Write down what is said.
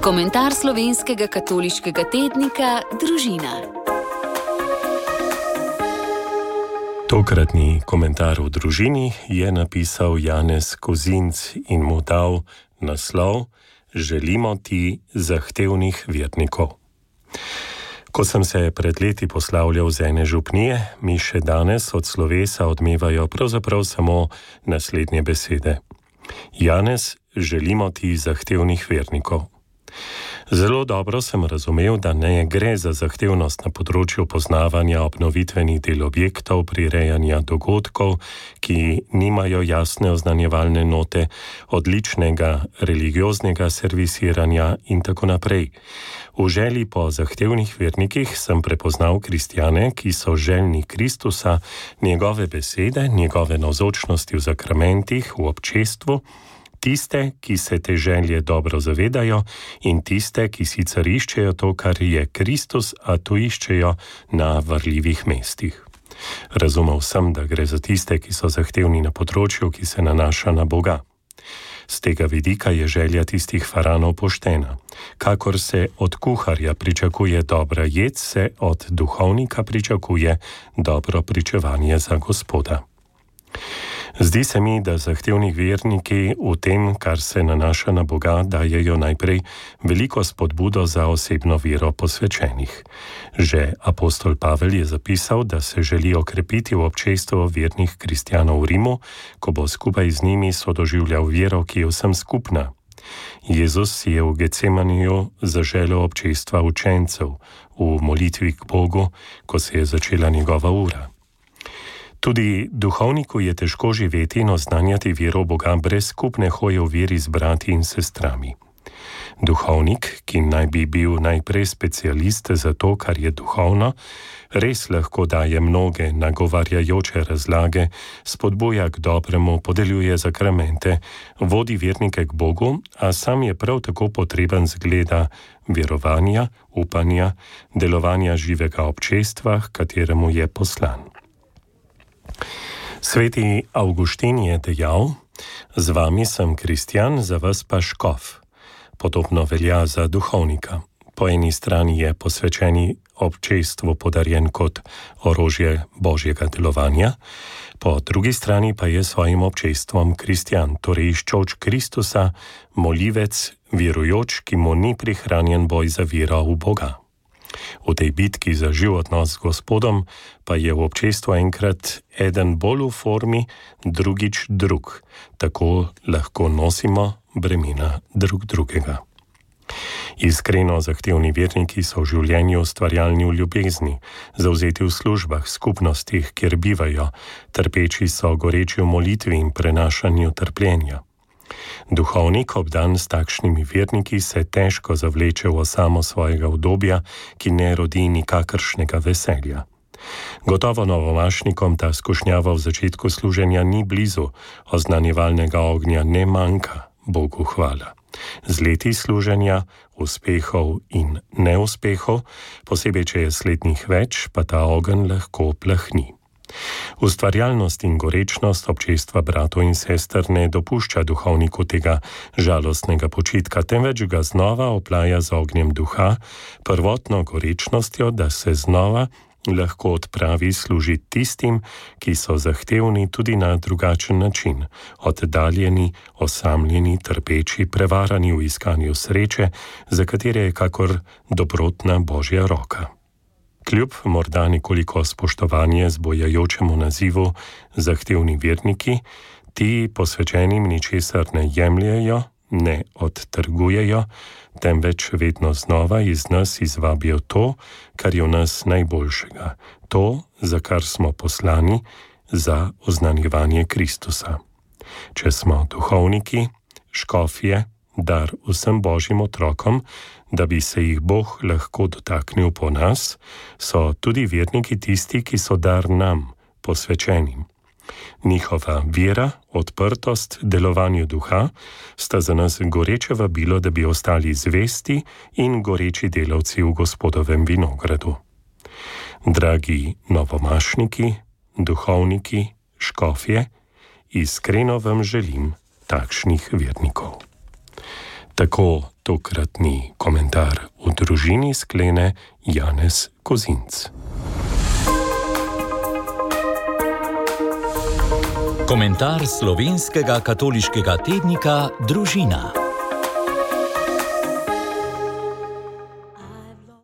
Komentar slovenskega katoliškega tednika Družina. Tokratni komentar v Družini je napisal Janez Kozinc in mu dal naslov Želimo ti zahtevnih vernikov. Ko sem se pred leti poslavljal z ene župnije, mi še danes od slovesa odmevajo pravzaprav samo naslednje besede. Janez, želimo ti zahtevnih vernikov. Zelo dobro sem razumel, da ne gre za zahtevnost na področju poznavanja obnovitvenih del objektov, prirejanja dogodkov, ki nimajo jasne oznanjevalne note, odličnega religioznega servisiranja in tako naprej. V želji po zahtevnih vernikih sem prepoznal kristjane, ki so željni Kristusa, njegove besede, njegove navzočnosti v zakramentih, v občestvu, tiste, ki se te želje dobro zavedajo in tiste, ki sicer iščejo to, kar je Kristus, a to iščejo na varljivih mestih. Razumel sem, da gre za tiste, ki so zahtevni na področju, ki se nanaša na Boga. Z tega vidika je želja tistih faranov poštena. Kakor se od kuharja pričakuje dobra jed, se od duhovnika pričakuje dobro pričevanje za Gospoda. Zdi se mi, da zahtevni verniki v tem, kar se nanaša na Boga, dajejo najprej veliko spodbudo za osebno vero posvečenih. Že apostol Pavel je zapisal, da se želi okrepiti v občestvu vernih kristjanov v Rimu, ko bo skupaj z njimi sodoživljal vero, ki je vsem skupna. Jezus si je v Getsemaniju zaželel občestva učencev v molitvi k Bogu, ko se je začela njegova ura. Tudi duhovniku je težko živeti in oznanjati vero Boga brez skupne hoje v veri z brati in sestrami. Duhovnik, ki naj bi bil najprej specialist za to, kar je duhovno, res lahko daje mnoge nagovarjajoče razlage, spodbuja k dobremu, podeljuje zakramente, vodi vernike k Bogu, a sam je prav tako potreben zgleda verovanja, upanja, delovanja živega občestva, h kateremu je poslan. Sveti Avguštin je dejal, z vami sem kristjan, za vas pa škof. Podobno velja za duhovnika. Po eni strani je posvečeni občestvu podarjen kot orožje božjega delovanja, po drugi strani pa je svojim občestvom kristjan, torej iščoč Kristusa, molivec, verujoč, ki mu ni prihranjen boj za vero v Boga. V tej bitki za živ odnos s Gospodom pa je v občestvu enkrat eden bolj v formi, drugič drug. Tako lahko nosimo bremena drug drugega. Iskreno zahtevni verniki so v življenju ustvarjalni v ljubezni, zavzeti v službah, skupnostih, kjer bivajo, trpeči so goreči v molitvi in prenašanju trpljenja. Duhovnik, obdan s takšnimi verniki, se težko zavleče v osamo svojega udobja, ki ne rodi nikakršnega veselja. Gotovo novomašnikom ta skušnjava v začetku služenja ni blizu, oznanjevalnega ognja ne manjka, Bogu hvala. Z leti služenja, uspehov in neuspehov, posebej če je slednjih več, pa ta ogenj lahko plahni. Ustvarjalnost in gorečnost občestva bratov in sester ne dopušča duhovniku tega žalostnega počitka, temveč ga znova oplaja z ognjem duha, prvotno gorečnostjo, da se znova lahko odpravi služiti tistim, ki so zahtevni tudi na drugačen način, oddaljeni, osamljeni, trpeči, prevarani v iskanju sreče, za katere je kakor dobrotna božja roka. Kljub morda nekoliko spoštovanje zbojajočemu nazivu zahtevni verniki, ti posvečenim ničesar ne jemljejo, ne odtrgujejo, temveč vedno znova iz nas izvabijo to, kar je v nas najboljšega, to, za kar smo poslani, za oznanjevanje Kristusa. Če smo duhovniki, škofje, dar vsem božjim otrokom, da bi se jih Bog lahko dotaknil po nas, so tudi verniki tisti, ki so dar nam, posvečenim. Njihova vera, odprtost, delovanju duha sta za nas goreče vabilo, da bi ostali zvesti in goreči delavci v Gospodovem vinogradu. Dragi novomašniki, duhovniki, škofje, iskreno vam želim takšnih vernikov. Tako tokratni komentar v družini sklene Janez Kozinc. Komentar slovenskega katoliškega tednika Družina.